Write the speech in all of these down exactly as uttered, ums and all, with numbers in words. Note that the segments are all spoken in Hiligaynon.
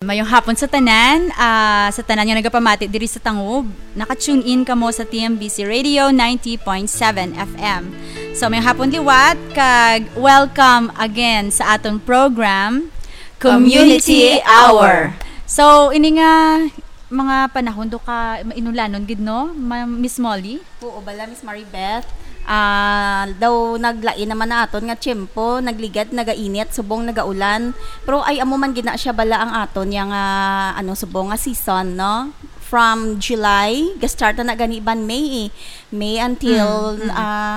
Mayong hapon sa tanan, ah, sa tanan nga nagapamati diri sa Tangub. Naka-tune in kamo sa T M B C Radio ninety point seven F M. So, mayong hapon liwat, kag welcome again sa aton program, Community Community Hour. Hour. So, ini nga mga panahon do ka inulanon gid, no, Ma-, Miss Molly? Oo, bala, Miss Maribeth. Ah, daw naglain naman na aton nga tiyempo, nagligad, nagainit, subong nagaulan. Pero ay amo man gid na siya bala ang aton yang, ah, ano, subong nga season, no? From July, ga-start na, na gani ban May, eh. May until, Mm, mm. ah,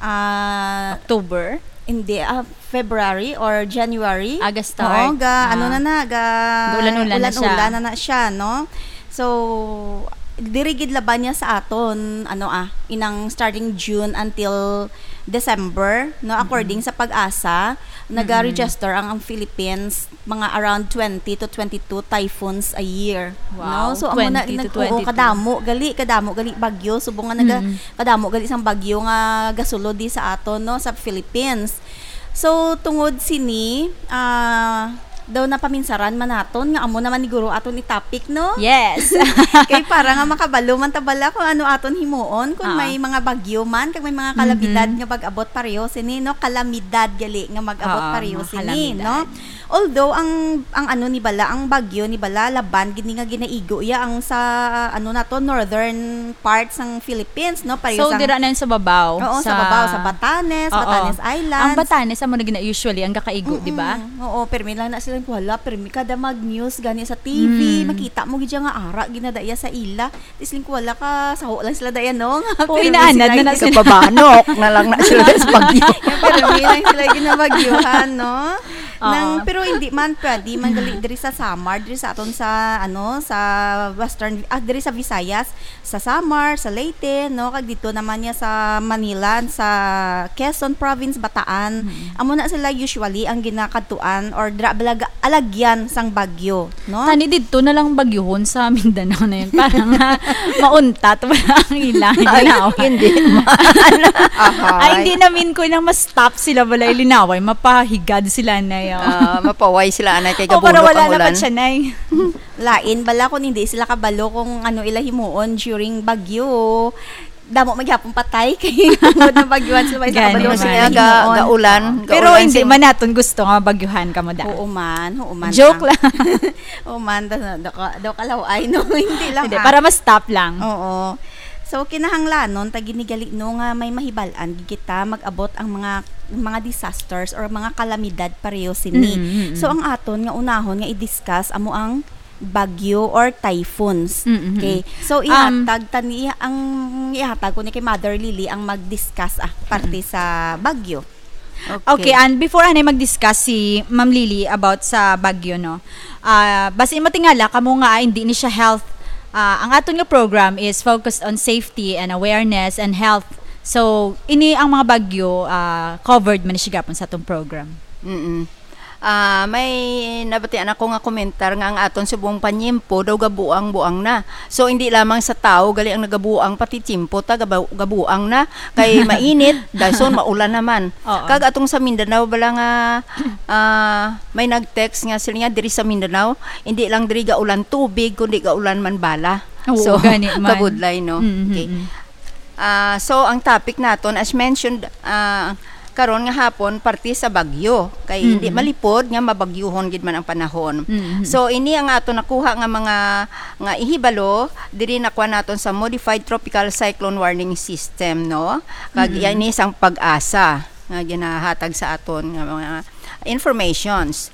ah, October? Hindi, ah, February or January. Ah, ga-start. Oo, ga, ano Ah. na na, ga, Ga-ulan-ulan na siya. ulan-ulan na na siya, no? So, diri gid laban niya sa aton, ano, ah, inang starting June until December, no? According Mm-mm. sa PAGASA, Mm-mm. naga-register ang, ang Philippines mga around twenty to twenty-two typhoons a year, Wow, no? So, amo na, twenty to nag-, oo, twenty-two. kadamo gali, kadamo gali bagyo, subong nga naga-, Mm-mm. kadamo gali sang bagyo nga gasulod di sa aton, no, sa Philippines. So, tungod sini, ah, daw napaminsaran man naton nga amo naman ni guro aton i-topic, no? Yes. Kay para nga makabalo man ta bala kung ano aton himuon, kung Ah. may mga bagyo man, kag may mga kalamidad Mhm. nga mag-abot pareho sini, no? Kalamidad gali nga mag-abot Ah, pareho mga sini, kalamidad. no? Although ang, ang ano ni bala, ang bagyo ni bala, laban gid ni nga ginaigo iya ang sa, ano na to, northern part sang Philippines, no? Pareho So, sang dira na yun sa babaw, Oo, sa sa babaw, sa Batanes, Oo. Batanes Islands. Ang Batanes, amo na gina-, usually, ang gakaigo, di ba? Mm-mm. Oo, permi lang na sila, wala, permi kada mag-news, gani sa T V, Mm. makita mo gid siya nga ara, ginadaya sa ila. Tisling ko, wala ka, saho lang sila daya, no? Nga, Oo, pero inaanad may na na sila. sila. Kapabanok na lang na sila sa bagyo. Pero may lang sila ginabagyuhan, no? Oo. Nang, pero hindi man, pwede man gali diri sa Samar, diri sa aton sa, ano, sa Western, ah, diri sa Visayas, sa Samar, sa Leyte, no? Kag dito naman niya sa Manila, sa Quezon Province, Bataan. Mm. Amo na sila usually ang ginakadtuan or dra-, balag-, alagyan sang bagyo, no? Tani didto na lang bagyuhon sa Mindanao na yun. Para nga mauntat, wala ang ilang Ay, linaway. hindi man. Ahay. Ay, hindi namin ko nang ma-stop sila, wala yung linaway. Mapahigad sila na yun. Ah, mapaway sila, anay, kay O, para gabuno wala ang na ulan. pa siya, Nay. Lain bala kung hindi sila kabalo kung ano ila himuon during bagyo. Damo maghapon patay kay tungod na bagyuhan sila, wala Gani kabalo man. Kasi sa nga, ga-, himuon. gaulan, Pero gaulan hindi sing- man naton gusto nga bagyuhan ka mo da. Oo man, oo man, Joke ah. lang. Oo man, da, da, da, da, kalaw-ay, no? Hindi lang, Hindi, ah. para ma-stop lang. Oo. So, kinahanglanon, ta ginigali, no, nga may mahibal-an gid kita mag-abot ang mga, mga disasters or mga kalamidad pareho sini. Mm, mm, mm. So, ang aton nga unahon nga i-discuss amo ang bagyo or typhoons. Mm, mm, Okay. mm. So, Um, ihatag ta ni, ang ihatag ko ni kay Mother Lily ang mag-discuss, ah, parte Mm. sa bagyo. Okay. Okay, and before anay mag-discuss si Ma'am Lily about sa bagyo, no? Ah, basi matingala kamo nga, ah, hindi ni siya health. Ah, ang aton nga program is focused on safety and awareness and health. So, ini ang mga bagyo, ah, covered man ni siya gapon sa atong program. Mm-mm. Ah, may nabatian ako nga komentar nga ang aton subong panyempo daw gabuang-buang na. So, hindi lamang sa tao gali ang nagabuang, pati tiyempo ta gaba-, gabuang na. Kay mainit, dason maulan naman. Oo. Kag atong sa Mindanao bala nga, ah, may nag-text nga sila nga diri sa Mindanao, hindi lang diri gaulan tubig, kundi gaulan man bala. Oo, So, gani man. kabudlay, no? Mm, Okay. mm, mm. Ah, so, ang topic naton, as mentioned, ah, karon nga hapon, parte sa bagyo. Kay hindi Mm-mm. malipod nga mabagyuhon gid man ang panahon. Mm-mm. So, ini ang aton nakuha nga mga, nga ihibalo, diri nakuha naton sa Modified Tropical Cyclone Warning System, no? Kag Mm-mm. yan ni sang PAGASA nga ginahatag sa aton nga mga informations.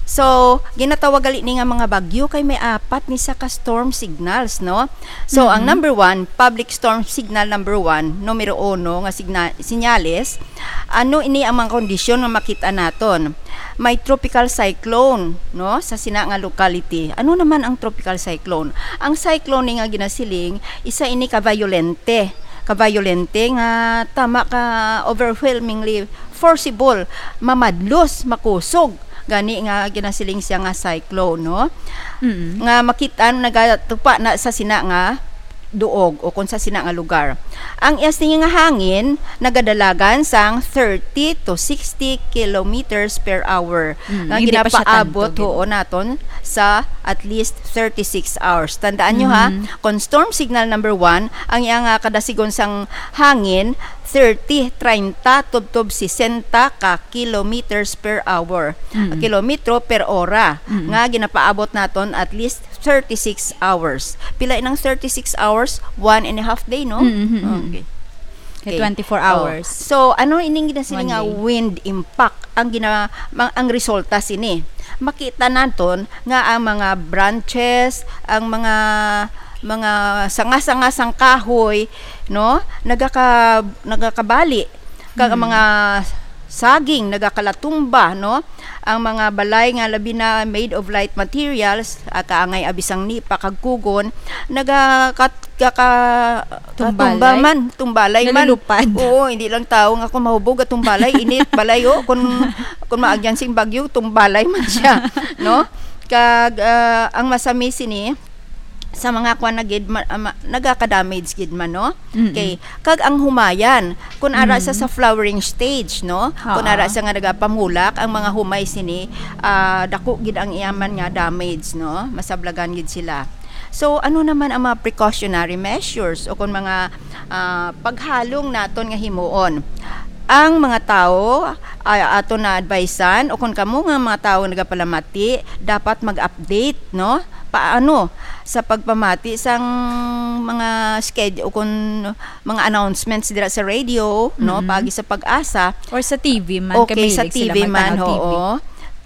So, ginatawag gali ni nga mga bagyo kay may apat ni sa ka storm signals, no? So, ang Mm-hmm. number one, public storm signal number one, numero uno nga signa-, sinyales, ano ini ang mga kondisyon nga makita naton? May tropical cyclone, no, sa sina nga locality. Ano naman ang tropical cyclone? Ang cyclone ni nga ginasiling, isa ini ka violente, ka violente nga tama ka overwhelmingly forcible, mamadlos, makusog. Gani nga ginasiling siya nga cyclone, no? Mm. Nga makita nagatupa na sa sina nga duog o kung sa sina nga lugar. Ang iya sini nga hangin nagadalagan sang thirty to sixty kilometers per hour Mm, nga hindi pa siya ginapaabot tanto, gid. huon naton sa at least thirty-six hours. Tandaan nyo, ha, Mhm. kung storm signal number one, ang iya nga kadasigon sang hangin, thirty, treinta, tubtob sesenta ka kilometers per hour. Mm. Kilometro per ora. Mm. Nga ginapaabot naton at least thirty-six hours. Pila inang thirty-six hours? One and a half day, no? Mm, mm, mm. Okay. Kay Okay. twenty-four Oh. hours. So, ano ining ginasiling One nga day. wind impact ang gina-, ma-, ang resulta sini? Makita naton nga ang mga branches, ang mga, mga sanga-sanga sang kahoy, no, nagaka-, nagakabali. Kag ang Hmm. mga saging nagakalatumba, no? Ang mga balay nga labi na made of light materials, ah, kaangay abi sang nipa kag kugon, nagakat-, kaka-, Tumbalay? katumba man, tumbalay man. Nalulupad. Oo, hindi lang tao nga kung mahubog at tumbalay, init balay, oh. Kung, kung maagyan sing bagyo, tumbalay man siya, no? Kag, ah, ang masami sini, sa mga kwan na gid, ma-, ma-, nagaka-damage gid man, no? Mm-mm. Okay. Kag ang humayan, kung ara sa, Mm. sa flowering stage, no? Kung Oo. ara sa nga nagapamulak, ang mga humay sini, ah, dako gid ang iyaman nga damage, no? Masablagan gid sila. So, ano naman ang mga precautionary measures o kung mga, ah, paghalong naton nga himuon? Ang mga tawo, ah, aton na advisean, o kung kamo nga mga tawo nagapalamati, dapat mag-update, no? Paano sa pagpamati sang mga sched-, o kung mga announcements dira sa radio, no? Mm-mm. Paagi sa PAGASA. Or sa T V man, Okay, kay sa mahilig sila T V man, magtanaw T V. oo.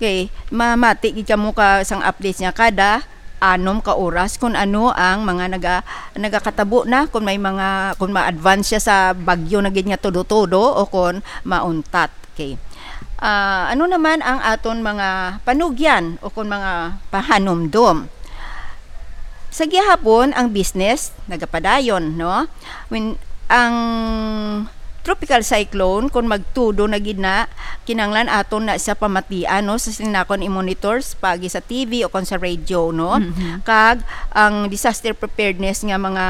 Okay, mamati gid kamo ka sang updates niya kada anom ka oras kung ano ang mga naga-, nagakatabo na, kung may mga, kung ma-advance siya sa bagyo na gid nga todo-todo o kung mauntat. Okay. Ah, ano naman ang aton mga panugyan o kung mga pahanumdom? Sa gihapon, ang business nagapadayon, no? When ang tropical cyclone, kung magtudo na gid na, kinanglan aton na siya pamatian, no? Sa sinakon i-monitors, paagi sa T V o kung sa radio, no? Mhm. Kag ang disaster preparedness nga mga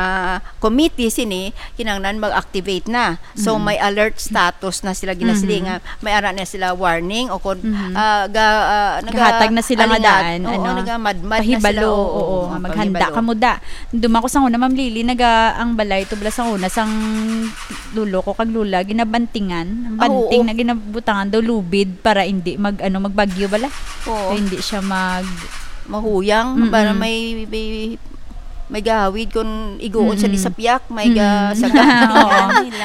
committee sini, kinanglan mag-activate na. So, Mhm. may alert status na sila ginasiling Mhm. nga may ara na sila warning o kung, Mhm. ah, ga-, ah, naga-, Gahatag na sila nga alingat, daan, oo, ano, nagamadmad na sila, pahibalo, oo, oo, nga maghanda pahibalo. Kamo da. Duma ko sa una, Ma'am Lily, naga ang balay tubla sa una sang lolo ko kag lola, ginabantingan. Ang Ah, banting oo. na ginabutangan daw lubid para hindi mag, ano, magbagyo bala. Oo. Kaya hindi siya mag Mahuyang, Mm-mm. para may, may, may gahawid kung iguon sa Mm-mm. disapyak, may ga-, Mm-mm. sa ga-, Oo.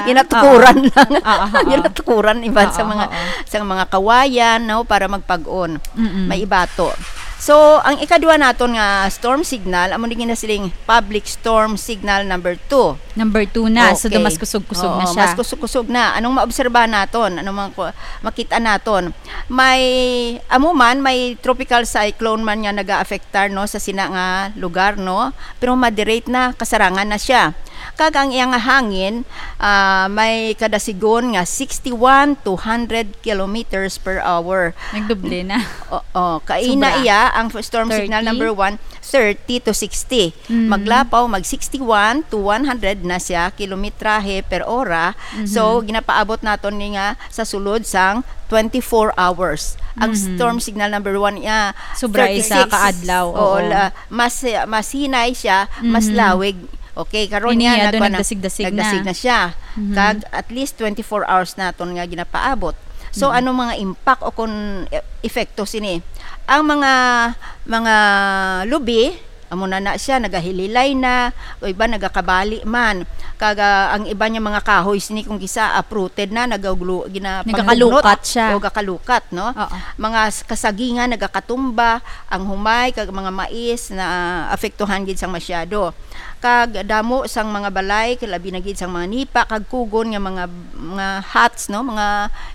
Ginatukuran Oo. lang. Oo, oo, oo. Ginatukuran iban sa Oo, mga, oo. sa mga kawayan, no, para magpag-on. Mm-mm. May ibato. So, ang ikadua naton nga storm signal, amo ni ginasiling public storm signal number two. Number two na. So, Okay. do mas kusog-kusog Oo, na siya. Mas kusog-kusog na. Anong maobserbahan naton? Anong mga ku-, makita naton? May, amo man, may tropical cyclone man nga nagaafektar, no, sa sina nga lugar, no? Pero moderate na, kasarangan na siya. Kag ang iya nga hangin, ah, may kadasigon nga sixty-one to hundred kilometers per hour. Nagdoble na. Oo, kaina Sobra. iya ang storm signal Thirty? number one, thirty to sixty. Mm. Maglapaw, mag sixty-one to one hundred na siya kilometrahe per ora. So, Mhm. ginapaabot naton ni nga sa sulod sang twenty-four hours. Ang Mhm. storm signal number one niya, Sobra isa thirty-six. ka adlaw, Oo, oo. la-, mas, mas hinay siya, mas Mhm. lawig. Okay, karon Ini niya, niya, do nagkuha na, nagdasig-dasig na. nagdasig na siya. Mhm. Kag at least twenty-four hours naton nga ginapaabot. So, Mhm. anong mga impact o kung e-, epekto sini? Ang mga, mga lubi, amo na na siya, nagahililay na, o iba nagakabali man. Kag, ah, ang iba niya mga kahoy sini kung kisa uprooted na, nagaglu-, gina-, Nagakalukat panglugnot siya. o gakalukat, no? Oo. Mga s-, kasagingan nagakatumba, ang humay, kag mga mais na apektuhan gid sang masyado. Kag damo sang mga balay, kalabi na gid sang mga nipa, kag kugon nga mga, mga huts, no? Mga,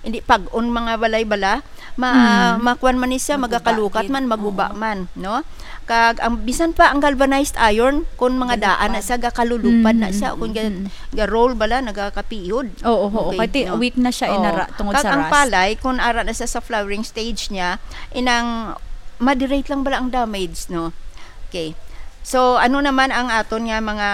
hindi pag-on mga balay bala, ma-, Mm. makuan man ni siya, Maguba magakalukat gid. man, maguba Oo. man, no? Kag ang, bisan pa ang galvanized iron, kung mga Galupad. daan na siya, gakalulupad na Mm, siya, mm, kung ga-, mm. ga-roll bala, nagakapiyod. Oo, oo. Okay, Kay ti-, no? weak na siya, Oo. inara, tungod Kag sa ang rust. palay, kung ara na siya sa flowering stage niya, inang moderate lang bala ang damage, no? Okay. So, ano naman ang aton nga mga,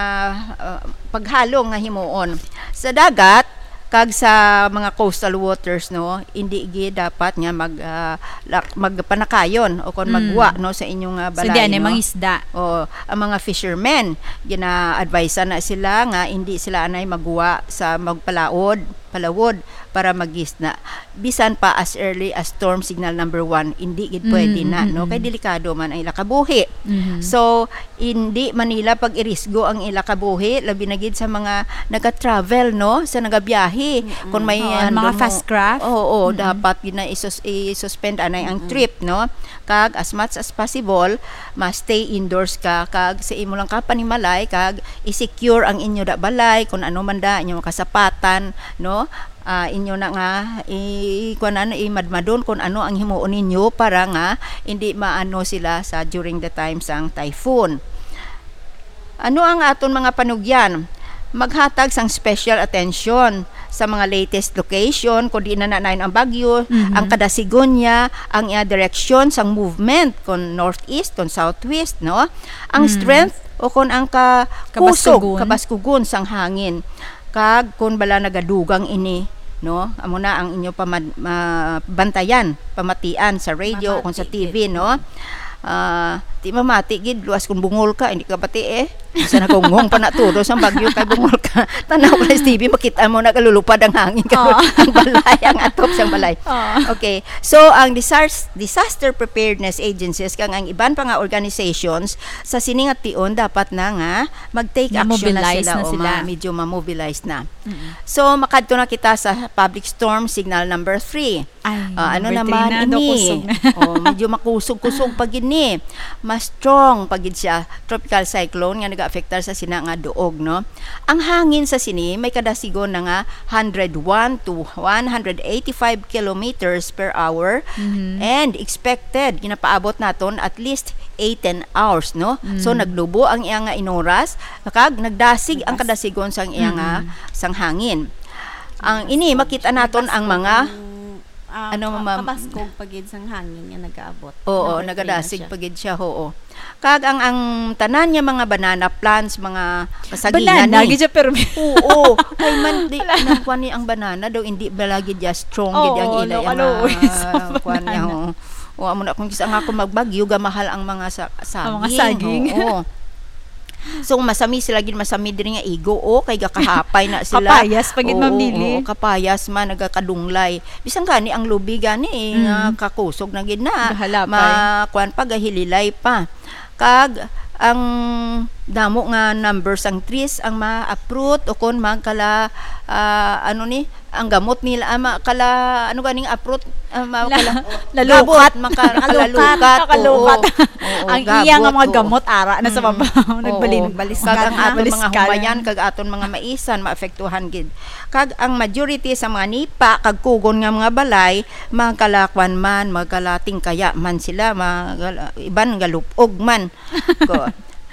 uh, paghalong nga himuon? Sa dagat, Kag sa mga coastal waters, no, hindi gid dapat nga mag, ah, lak-, magpanakayon o kon Mm. magwa, no, sa inyong, ah, So, balay, di, ano, no? Mangisda. O, ang mga fishermen, gina-advise na sila nga hindi sila anay magwa sa magpalaod, palawod para magisda. Bisan pa as early as storm signal number one, hindi gid pwede Mm, na, mm, no? Kay mm. delikado man ang ila kabuhi. Mhm. So, hindi man nila pag-irisgo ang ila kabuhi, labi na gid sa mga naga-travel, no? Sa nagabiyahe. Mm-mm. Kung may Oo, ang handom mga mo, fast craft. Oo, Mm-mm. dapat gid na isus-, i-suspend anay ang Mm-mm. trip, no? Kag as much as possible, ma-stay indoors ka. Kag sa imo lang ka panimalay, kag i-secure ang inyo da balay, kung ano man da, inyo kasapatan, no? Ah, inyo na nga, i-, kuwan, ano, imadmadon kung ano ang himuon ninyo para nga hindi maano sila sa during the time sang typhoon. Ano ang aton mga panugyan? Maghatag sang special attention sa mga latest location, kung di na nanayon ang bagyo, Mhm. ang kadasigon niya, ang iya direksyon sang movement, kung northeast, kung southwest, no? Ang Mm. strength o kung ang ka-, kusog, Kabaskugon. kabaskugon sang hangin. Kag kung bala nagadugang ini, no? Amo na ang inyo pamad-, ma-, bantayan, pamatian sa radio o kung sa Mamati T V, gid. no? Ah, di mamati gid, luas kung bungol ka, hindi ka bati eh. Sa nagunggong pa na tudo sa bagyo kay bungol ka. Tanaw ka sa T V, makita mo nagalulupad ang hangin, Oo. ang balay, ang atop sang balay. Oo. Okay. So, ang disas-, disaster preparedness agencies kag ang iban pa nga organizations sa sini nga tion dapat na nga mag-take action na Ma-mobilize sila na o sila. ma-, medyo ma-mobilize na. Mm-mm. So, makadto na kita sa public storm signal number three. Ay, Ah, ano number three naman na, daw ini? kusog na. Oh, medyo makusog-kusog pa gid ni. Mas strong pa gid siya. Tropical cyclone nga nag-aapektar sa sina nga duog, no? Ang hangin sa sini may kadasigon na nga hundred one to one hundred eighty-five kilometers per hour Mhm. and expected, ginapaabot naton at least eight, ten hours, no? So, Mm. naglubo ang iya nga inoras, kag nagdasig ang Nagdas- kadasigon sang iya nga, Mm-mm. sang hangin. Ang ini, Kabaskog. makita naton ang Kabaskog mga ang, ah, ano, ka-, ma'am? kabaskog pa gid sang hangin nga nagaabot. Oo, Number three na nagadasig siya. pa gid siya, oo. Kag ang, ang tanan nga mga banana plants, mga masagingan Banana, ni. gid siya, pero Oo, kay man, di, Wala. nang kuwan ni ang banana daw, hindi ba lagi siya strong, gid ang Oo, ila, no, ang, kaluoy sa ah, kuwan niya, banana. oo. O, amo na, kung kisa nga ako magbagyo, gamahal ang mga sa-, Ang mga saging, saging. Oo. So, masami sila gid, masami diri nga igo, o, kay gakahapay na sila. Kapayas pa gid, Oo, Ma'am Nili. oo, kapayas man, nagakadunglay. Bisan gani ang lubi gani, eh, nga Mm. kakusog na gid na. Gahalapay. Ma-, kuwan pa, gahililay pa. Kag ang damo nga numbers ang trees ang ma-uproot o kon magkala, ah, ano ni, ang gamot nila, ah, ma-, kala, ano ganing uproot, ah, ma-, La-, kala-, lalukat. gabot, maka-, Nakalukat. kalalukat, Nakalukat. oo. Oo, Ang iya nga gabot, mga oo. gamot, ara na sa Mm. babaw, Oo. nagbalin-, Baliskat. Kag ang aton mga Baliskat. humayan, kag aton mga maisan, maapektuhan gid. Kag ang majority sa mga nipa, kag kugon nga mga balay, magkalakwan man, magkalatingkaya man sila, magala-, iban galupog man. Ko.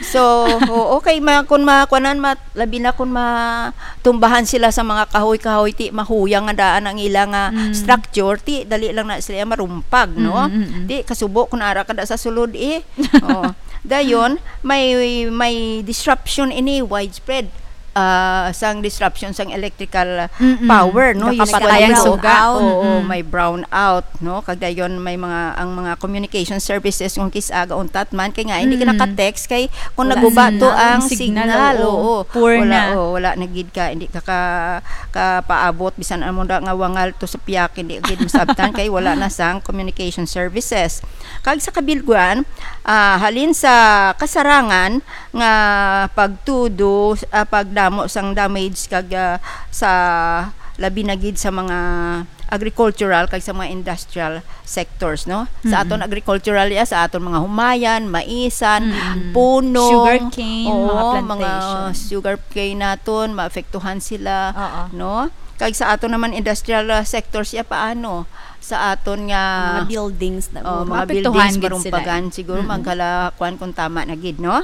So, oo, kay ma-, kun ma-, kuanan, ma-, labi na kun matumbahan sila sa mga kahoy-kahoy, ti mahuyang nga daan ang ila nga Mm. structure, ti dali lang na sila marumpag, no? Mm, mm, mm. Ti kasubo kun ara ka da sa sulod, eh. Oo. Dayon, may, may disruption ini, widespread, ah, sang disruption sang electrical Mm-mm. power, no? Nakapatay Usually, ang no? suga. Oo, Mm-mm. may brownout, no? Kag dayon may mga, ang mga communication services kung kis-a gauntat man, kay nga hindi ka Mm. naka-text, kay kung Wala naguba na. to Ang ang signal, signal, oo. oo. Poor Wala, na. oo, wala na gid ka, hindi ka ka-, kapaabot, bisan amo na nga wangal to sa piyak, hindi gid masabtan kay wala na sang communication services. Kag sa kabilguan, ah, halin sa kasarangan nga pagtudo, ah, pagdamo sang damage kag, ah, sa labi na gid sa mga agricultural kag sa mga industrial sectors, no? Sa Mm-mm. aton agricultural, ya, sa aton mga humayan, maisan, Mm-mm. punong, Sugarcane, oo, mga mga plantation. sugarcane naton, maapektuhan sila, Oo. no? Kag sa aton naman industrial, ah, sectors, ya, paano? Sa aton nga, Mga buildings na oh, mo. mga Maapektuhan buildings, gid sila, marumpagan, eh. siguro Mm-mm. magkalakuan kung tama na gid, no?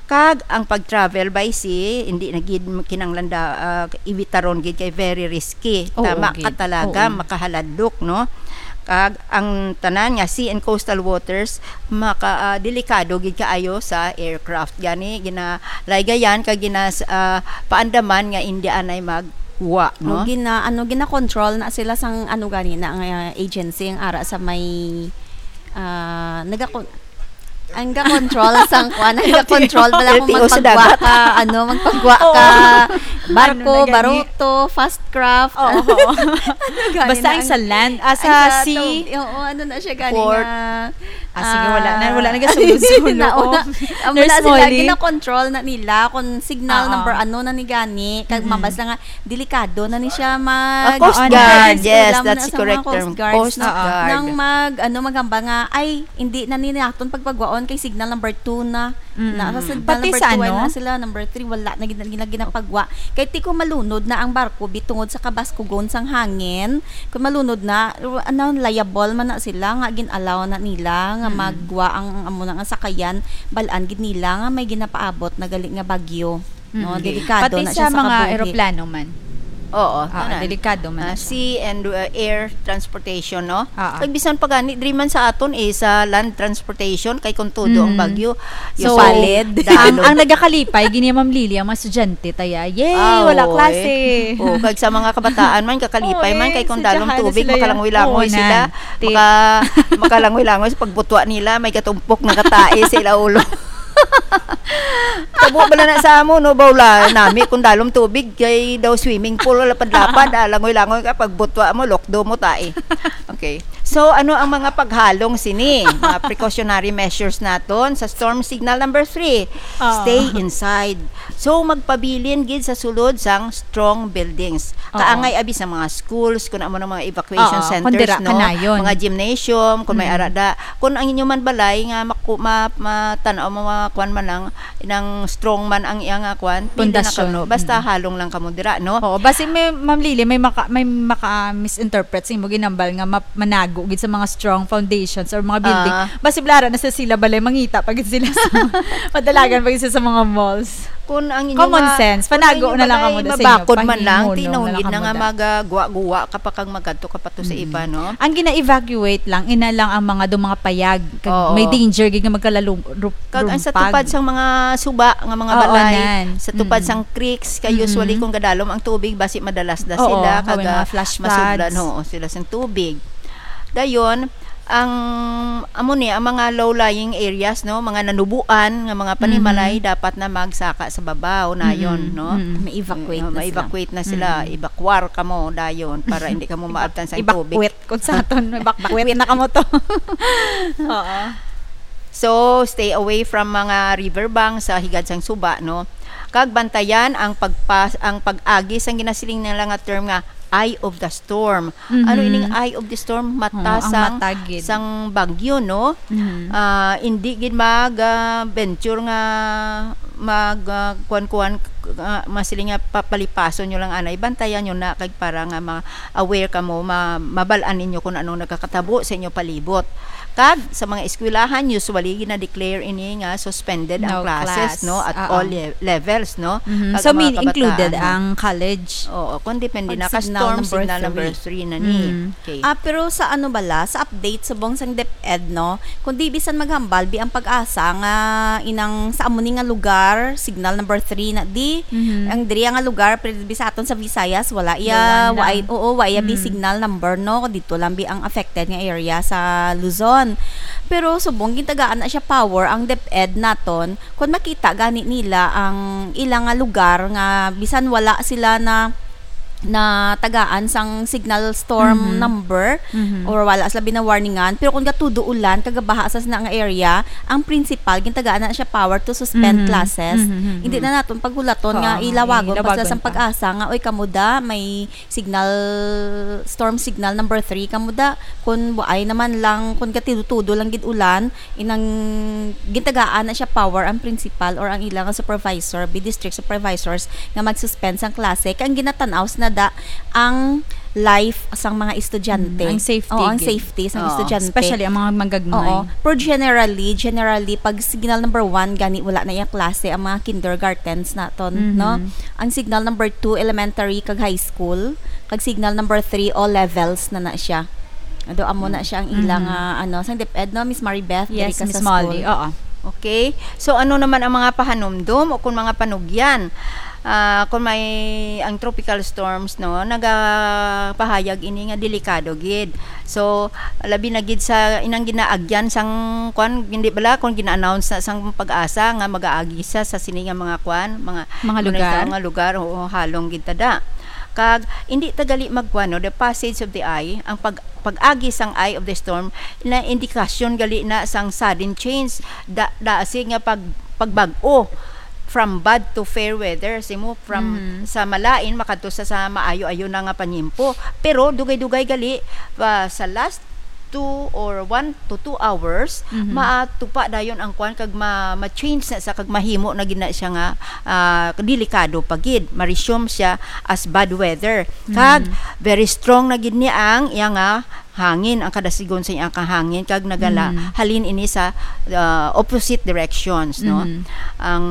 Kag ang pag-travel by sea, hindi na gid kinahanglan da, ah, ibitaron gid kay very risky. Oo, Tama gid. ka talaga, Oo. makahaladlok, no? Kag ang tanan nga sea and coastal waters, maka, ah, delikado gid kaayo sa aircraft. Gani, ginalaygayan kag ginas-, ah, paandaman nga hindi anay mag Wa, no? O gina-, ano, gina-control na sila sang, ano, gani na nga agency ang ara sa may, ah, nagakon-, ang ga-control sang kuan, ang ga-control bala kung L T O sa magpagwa dagat. Ka, ano, magpagwa Oo. Ka, barko, Ano na gani? Baruto, fast craft. Oo. Ano gani Basta na ang ang, sa land, ah, ang sa sa sea. Tub-, oo, ano na siya gani Port. Nga, Ah, sige, wala na, ah, wala na gasulod-sulod. Nauna, Oh. Amo Nurse na sila, Molly. Gina-control na nila kung signal Oo. number ano na ni gani, kag Mm-mm. mabasa nga, delikado na ni siya mag- Ah, Coast Oo, Guard, nag-, yes, wala mo that's na sa mga correct Coast term. Guards Coast na, Guard. Nang mag-, ano, maghambal nga, "Ay, hindi na ni naton pagpagwaon kay signal number two na." Mm. Na, sa signal Pati number sa two, ay ano? Na sila, number three, wala na gina-, gina-, ginapagwa. Kay ti kung malunod na ang barko, bitungod sa kabaskugon sang hangin, kung malunod na, ano, liable man na sila, nga gin-allow na nila, nga Mm. magwa ang, ang amo na nga sakayan, bal-an gid nila nga may ginapaabot na gali nga bagyo. No, Mm. delikado Pati na sa siya sa mga kabuhi. Eroplano man. Oo, Ah, tanan. Delikado man Ah, na siya. Sea and, uh, air transportation, no? Ah, ah. Kag bisan pa gani, diri man sa aton, eh, sa land transportation, kay kung tudo ang Mm. bagyo, yung So, palid, ang, dalo. Ang nagakalipay, gini, Ma'am Lily, ang mga estudyante, taya. Yay, Ah, wala oo, klase. Eh. Oh, kag sa mga kabataan man, kakalipay Oo, man, eh, kay kung dalom estudyante tubig, sila yan. Makalangoy-langoy Oo, sila. Nan. Ti- Maka-, makalangoy-langoy sa pagbutwa nila, may gatumpok na katai sa ila ulo. Tabo bala na sa amo, no, bawla nami kung dalom tubig, kay daw swimming pool, lapad-lapad, ah, langoy-langoy ka, pagbutwa mo, lokdo mo, tai. Okay. So, ano ang mga paghalong sini? Mga precautionary measures naton sa storm signal number three. Oo. Stay inside. So, magpabilin gid sa sulod sang strong buildings. Oo. Kaangay abi sa mga schools, kung amo ng mga evacuation Oo, centers, kung dira, no? Kanayon. Mga gymnasium, kung may Mm. arada. Kung ang inyo man balay nga maku-, ma-, matan-aw mo, mga kwan man lang, nang strong man ang iya nga kwan, pwede na Pundasyon. Kamo. Basta Mm. halong lang kamo dira, no? Oo, basi may, Ma'am Lily, may maka-, may maka-misinterpret sa imo ginambal nga ma-, manago gid sa mga strong foundations or mga building. Ah. Basi blara na sa sila balay, mangita pa gid sila sa madalagan pa gid sila sa mga malls. Kung ang inyo Common nga, sense, kung ang panago inyo na lang balay kamo da sa inyo, mabakod man lang, pahimo, no, tinahon na lang gid na kamo nga da. Magaguwa-guwa ka pa kag magadto ka pa to sa Mm. iba, no? Ang gina-evacuate lang, ina lang ang mga do mga payag, kag Oo. May danger gid nga magkalalo-, ru-, Kag ang sa rumpag. Tupad sang mga suba nga mga Oo, balay, nan. Sa tupad Mm. sang creeks, kay Mm-mm. usually kung gadalom ang tubig, basi madalas na Oo, sila, may kag, mga ah, flash masudlan, floods. Oo, sila sang tubig. Dayon, ang, amo ni, ang mga low-lying areas, no, mga nanubuan nga mga panimalay, Mm-hmm. Dapat na magsaka sa babaw, nayon, Mm-hmm. No? Mm-hmm. Ma-evacuate Oh, na sila. Ma-evacuate na sila. Mm-hmm. Evacuar kamo dayon para hindi kamo maabtan sa tubig. Evacuate. Kung sa aton, evacuate na kamo to. Oo. So, stay away from mga river banks sa higad sang suba, no? Kag bantayan ang pagpas-, ang pag-agi sang ginasiling nila nga term nga eye of the storm. Ano Mhm. ining eye of the storm? Mata Oo, ang sang, mata gid. Sang bagyo, no? Mhm. Ah, hindi gid mag, ah, venture nga mag, ah, kuan-kuan, ah, masiling nga papalipason nyo lang anay. Bantayan nyo na kag para nga ma-, aware kamo, ma-, mabal-an ninyo kung anong nagkakatabo sa inyo palibot. Kag sa mga eskwelahan, usually gina-declare ini nga suspended ang No classes, class. No, at Oo. All le-, levels, no? Mhm. Kag So, ang mga mean, included kabataan, no? Ang college? Oo, kung depende Pag na ka signal storm, number signal number three. Three na ni. Mm. Okay. Ah, pero sa ano bala, sa update subong sang DepEd, no? Kundi bisan maghambal bi ang PAGASA nga inang sa amo ni nga lugar, signal number three na di. Mhm. Ang diri nga lugar, pero bi sa aton sa Visayas, wala iya, Wala na. Wa-, oo, wa iya bi Mm. signal number, no? Dito lang bi ang affected nga area sa Luzon. Pero subong gintagaan na siya power ang DepEd naton, kung makita gani nila ang ila nga lugar nga bisan wala sila na na tagaan sang signal storm Mhm. number Mhm. or wala sila binawarningan. Pero kung gatudo ulan, kagabaha sa sina nga area, ang principal, gintagaan na siya power to suspend Mhm. classes. Mhm, mhm, Hindi mhm. Na naton paghulaton Oo, nga nga, ilawagon pa sila ilawagon sang pa. PAGASA nga, "Oy, kamo da, may signal, storm signal number three kamo da." Kung buay naman lang, kung gatudo-tudo lang gid ulan, inang gintagaan na siya power ang principal or ang ilang supervisor, bi district supervisors, nga mag-suspend sang klase. Kay ang ginatanaw sa nada ang life sang mga estudyante. Mm, ang safety Oo, ang gid. Safety sang Oo, estudyante. Especially ang mga magagmay. Oo. Pero generally, generally, pag signal number one, gani wala na yung klase, ang mga kindergartens naton, Mhm. No? Ang signal number two, elementary kag high school. Kag signal number three, all levels na na siya. Ado, amo na siya ang ilang, Mhm. Ah, ano, sang DepEd, no, Miss Maribeth, Yes, diri ka Miss sa Molly, school. Oo. Okay. So, ano naman ang mga pahanumdom o kung mga panugyan? Ah, kung may, ang tropical storms, no, nagapahayag ini nga delikado gid. So, labi na gid sa inang ginaagyan sang, kwan, hindi bala, kung gina-announce na sang PAGASA nga mag-aagi sa, sa sini nga mga, kwan, mga Mga lugar? nga lugar, oo, halong gid tada. Kag, hindi ta gali magkwan, no, the passage of the eye, ang pag-, pag-agi sang eye of the storm, na indikasyon gali na sang sudden change, da, da, si nga pag, pagbag-o from bad to fair weather, simo from Mhm. sa malain makadto sa, sa maayo-ayo na nga panyimpo. Pero dugay-dugay gali, ah, sa last two or one to two hours, Mhm. matupa dayon ang kwan kag ma-, ma-change na sa kag mahimo na gid na siya nga, ah, delikado pa gid. Ma-resume siya as bad weather. Kag Mhm. very strong na gid ni ang iya nga hangin, ang kada sigon sa iyang kahangin, kag nagala, Mm. halin ini sa, uh, opposite directions, no? Mm. Ang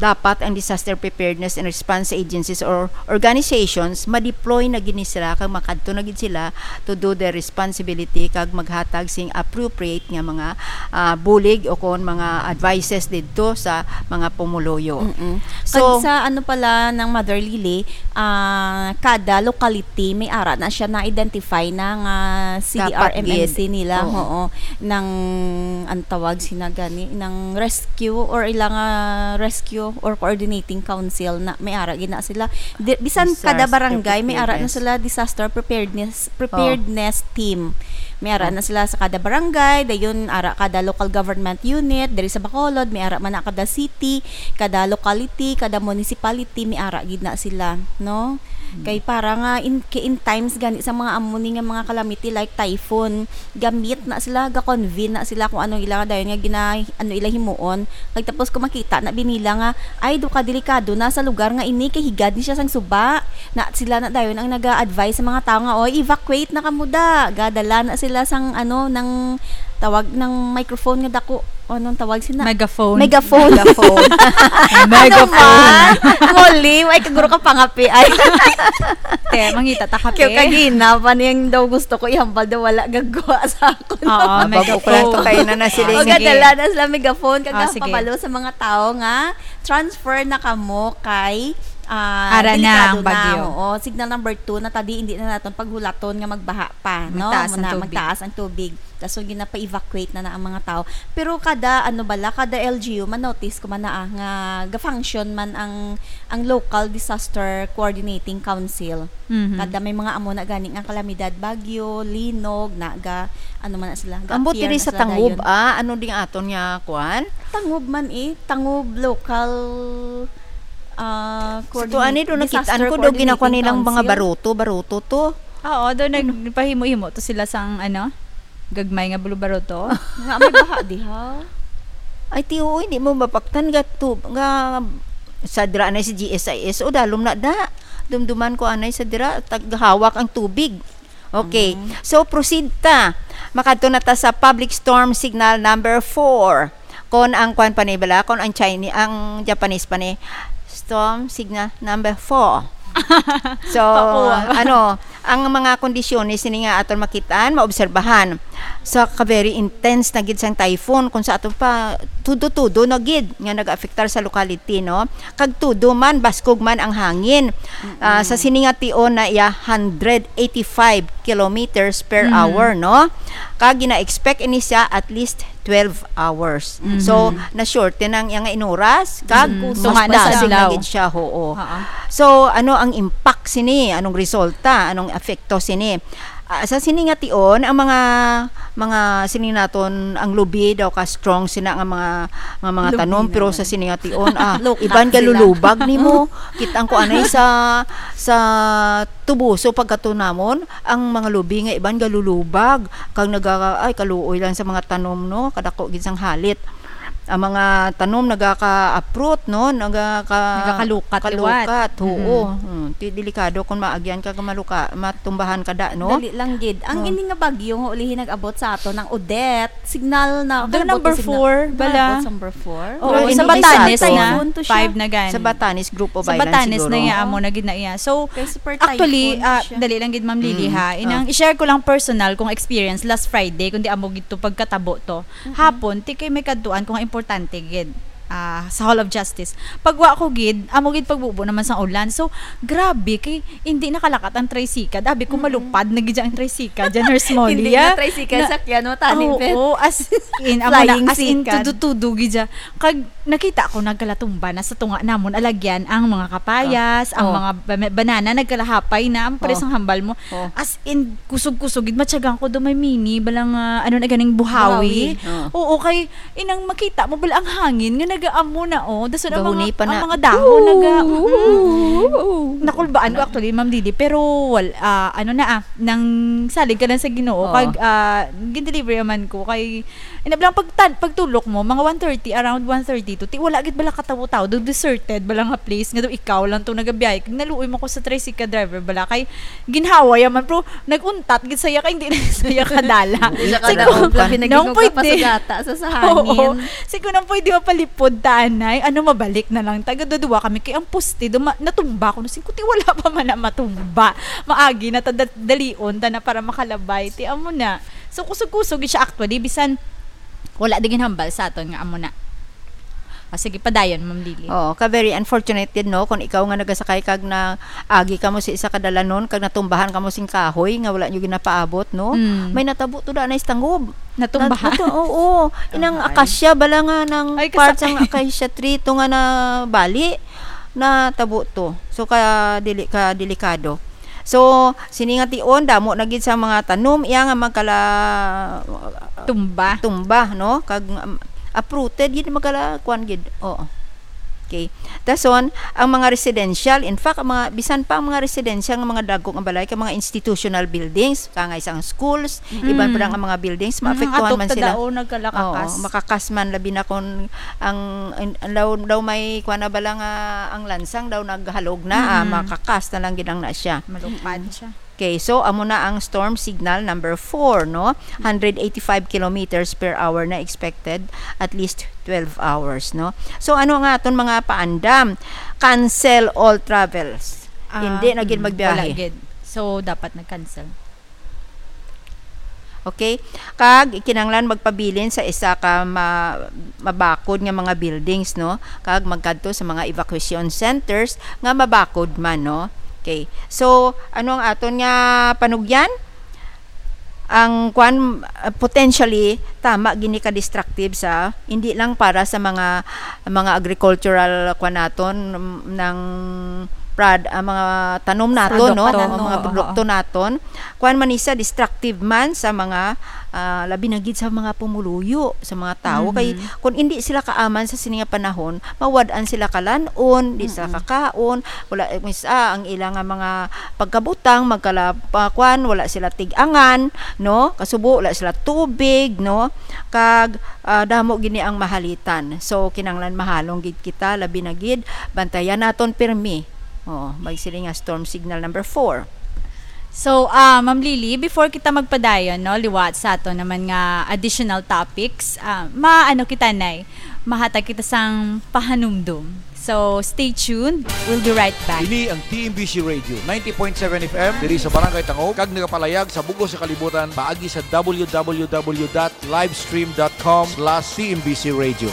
dapat ang disaster preparedness and response agencies or organizations, ma-deploy na gid ni sila, kag makadto na gid sila to do their responsibility, kag maghatag sing appropriate nga mga, ah, bulig o kon mga advices didto sa mga pumuluyo. Mm-mm. So, kag sa ano pala ng Mother Lily, ah, kada locality may ara na siya na-identify na nga C D R M M C nila, oo, nang, ang tawag sina gani, nang rescue or ilang, ah, rescue or coordinating council na may ara gid na sila. Di, bisan kada barangay may ara na sila disaster preparedness, preparedness team. May ara na sila sa kada barangay, dayon ara kada local government unit, diri sa Bacolod, may ara man na kada city, kada locality, kada municipality, may ara gid na sila, no? Mm. Kay para nga in, kay in times gani sa mga amo ni nga mga calamity like typhoon, gamit na sila, ga-convene na sila kung ano ila dayon nga gina-, ano ila himuon. Kag tapos kung makita na binila nga, ay, do ka delikado na sa lugar nga ini, kay higad ni siya sang suba. Na sila na dayon ang naga-advise sa mga tao nga, "Oy, evacuate na kamo da." Gadala na sila sang, ano, nang tawag ng microphone nga dako. Anong tawag sina? Megaphone. Megaphone. Megaphone. Ano Megaphone. man? Muli, ay, kaguro ka pangapi. Ay. Te, mangita ta kape. Kaya kagina pa niyang daw gusto ko ihambal daw wala gagawa sa akon. Oo, Ah, bago ko lang megaphone. to kayo na nasiling. O, Sige. gadala na sila megaphone, Ah, kag sige. pabalo sa mga tao nga, transfer na kamo kay, ah, Ara na delikado ang bagyo. na. Oo, signal number two na tadi, hindi na naton paghulaton nga magbaha pa, no? Magtaas ang Muna, tubig. magtaas ang tubig. Dason ginapa-evacuate na na ang mga tao. Pero kada, ano bala, kada L G U, ma-notice ko man na, ah, nga ga-function man ang, ang local disaster coordinating council. Mhm. Kada may mga amo na gani nga kalamidad, bagyo, linog, na ga, ano man na sila, Ambot ga-appear diri na sa sila Tangob, dayon. ah, ano ding aton nga kuan? Tangob man eh, Tangob local, ah, Sa coordinate, tuan eh, do nakit-an disaster ko, do coordinating ginakuha nilang mga council. baruto, baruto to. Oo, do Hmm. nagpahimo-himo to sila sang, ano, gagmay nga bulubaruto. Nga may baha diha. Ay, ti, oo, hindi mo mapaktan nga tu-, nga sa dira na si G S I S, o dalom na da. Dumduman ko anay sa dira, taghawak ang tubig. Okay. Mm. So, proceed ta. Makadto na ta sa public storm signal number four. Kon ang kwan pa ni bala, kon ang Chinese, ang Japanese pa ni, storm signal number four. So, Pakuha. ano, ang mga kondisyones sini nga aton makitaan, maobserbahan. Sa ka-very intense na gid sang typhoon, kung sa aton pa, tudo-tudo na gid nga nag-aafektar sa locality, no? Kag tudo man, baskog man ang hangin. Mm-mm. Ah, sa sini nga tion na iya hundred eighty-five kilometers per Mm. hour, no? Kag gina-expect ini siya at least twelve hours. Mhm. So, na-shorten ang iyang inuras, kag Mm. mas Tunga na sa masagig na adlaw. gid siya, oo. Oo. So, ano ang impact sini? Anong resulta? Anong epekto sini? Ah, sa sini nga tion, ang mga, mga sini naton, ang lubi daw ka strong sina nga mga, nga mga Lubi tanom, pero naman. sa sini nga tion, ah, Lukat iban ka sila. lulubag nimo. Kita ko anay sa, sa tubuso pagkatunamon, ang mga lubi nga iban galulubag, kag naga-, ay, kaluoy lang sa mga tanom, no? Kadako gid sang halit. Ang mga tanom nagaka-uproot, no? Nagaka-, Nagakalukat liwat. kalukat, oo. Mhm. Hmm, ti-, delikado kung maagyan ka, ka maluka-, matumbahan ka da, no? Dali lang gid. Ang Oh. ini nga bagyo nga ulihi nag-abot sa aton, ang Odette, signal na, Do kalabot number na signal. four, bala. Kalabot sa number four? Oo, Pero sa hindi Batanes sa na, typhoon to siya. five na gani. Sa Batanes, group of Sa islands Batanes siguro. na iya, amo na gid na iya. So, Kay super actually, typhoon to ah, siya. dali lang gid, Ma'am Lily, Mm. ha. Inang Ah. i-share ko lang personal kong experience last Friday, kundi amo gid to pagkatabo to. Mm-mm. Hapon, ti kay may kadtuan ko nga importante gid. ah, sa Hall of Justice. Pagwa ko gid, amo gid pagbubo naman sa ulan. So, grabe kay hindi nakalakat ang tricycle. Abi ko, Mm-mm. malupad na gid ang tricycle diyan, Nurse Molly, Hindi na ah. tricycle, Na sakyan, no? Taning Oo, pet. as in, amo na, Flying as in, sikan. tudu-tudu gid siya. Kag nakita ko, nagkalatumba na sa tunga namon, alagyan ang mga kapayas, Ah, ang oh. mga ba-, banana, nagkalahapay na, ang pares Oh. ang hambal mo. Oh. As in, kusog-kusog gid, matyagan ko do may mini, balang, ah, ano na ganing buhawi. Buhawi. Oh. Oo, kay inang makita mo bala ang hangin nga nagaamo na, oh. Dason ang Gahuni mga, pa ang na. mga dahon naga-, mm-mm. Ooh. Nakulbaan ko actually, Ma'am Didi, pero wal-, ah, ano na, ah, nang salig ka lang sa Ginoo, Oo. kag, ah, gin-deliver man ko kay, ina lang pagtan-, pagtulok mo, mga one thirty, around one thirty to, ti wala gid bala katawo-tawo, do deserted bala nga place, nga do ikaw lang to nagabiyahe. Kag naluoy mo ko sa tricycle driver bala, kay ginhawa ya man, pero nag-untat gid saya kay hindi na saya kadala. Hindi siya Sige, kadaog, labi na nung gid pwede. Pasugata sa, sa Oo. hangin. Sige, nung pwede mapalipod ta, anay, ano, mabalik na lang. Taga dudua kami kay ang poste, duma-, natumba ko. Sige, ti wala pa man na matumba. Maagi na ta da-, dalion ta na para makalabay. Ti amo na. So, kusog-kusog gid siya actually. Bisan wala di ginhambal sa aton nga amo na. O, sige, padayon, Ma'am Lily. Oo, ka very unfortunate gid, no, kung ikaw nga nagasakay kag na agi kamo sa isa ka dalanon kag natumbahan kamo sing kahoy nga wala nyo ginapaabot, no? Mm. May natabo to da na istangob. Natumbahan? Nat-, nato-, oo, inang Ay. akasya bala nga nang Ay, part kasakit. sang akasya tree to nga nabali, natabo to. So, ka dili-, ka delikado. So, sini nga tion, damo na gid sa mga tanom iya nga magkala-, Tumba. tumba, no? Kag, um, uprooted gid, magkala-, kuan gid. Oo. Okay. Dason, ang mga residential, in fact, ang mga, bisan pa ang mga residential nga mga dagko nga balay, kag mga institutional buildings, kangay sang schools, Mm. iban pa ang mga buildings, Mm, maapektuhan atop man ta sila. daw, nagkalakakas. Oo, makakas man, labi na kung ang, ang, ang daw, daw may, kuwan na bala nga, ang lansang daw naghalog na, ah, Mm. makakas na lang gid ang na siya. Malupad siya. Okay, so amo na ang storm signal number four, no? Hundred eighty-five kilometers per hour na expected, at least twelve hours, no? So ano nga aton mga paandam? Cancel all travels. Ah, Hindi na gid mm, magbiyahe. Wala gid. So dapat nag-cancel. Okay? Kag kinahanglan magpabilin sa isa ka ma-, mabakod nga mga buildings, no? Kag magkadto sa mga evacuation centers nga mabakod man, no? Okay. So, ano ang aton nga panugyan? Ang kwan, uh, potentially, tama gini ka destructive sa, hindi lang para sa mga, mga agricultural kwan naton, mm, ng prod-, ah, mga tanom naton, no? Produkto. Mga Oo, produkto oo. naton. Kwan man ni siya, destructive man sa mga, ah, labi na gid sa mga pumuluyo, sa mga tawo. Kay Mhm. kung hindi sila kaaman sa sini nga panahon, mawad-an sila kalan-on, di sila Mm-mm. kakaon, wala, eh, mis-, ah, ang ila nga mga pagkabutang, magkala-, pa-, kwan, wala sila tig-angan, no? Kasubo, wala sila tubig, no? Kag, ah, damo gini ang mahalitan. So, kinahanglan mahalong gid kita, labi na gid, bantayan naton pirmi. Oo, may sila nga storm signal number four. So, ah, Ma'am Lily, before kita magpadayon, no, liwat sa ato naman nga additional topics, ah, maano kita, Nay? Mahatag kita sang pahanumdom. So, stay tuned. We'll be right back. Ini ang T M B C Radio, ninety point seven F M, diri sa Barangay Tangub, kag nagapalayag sa bug-os nga kalibutan paagi sa W W W dot livestream dot com slash T M B C Radio.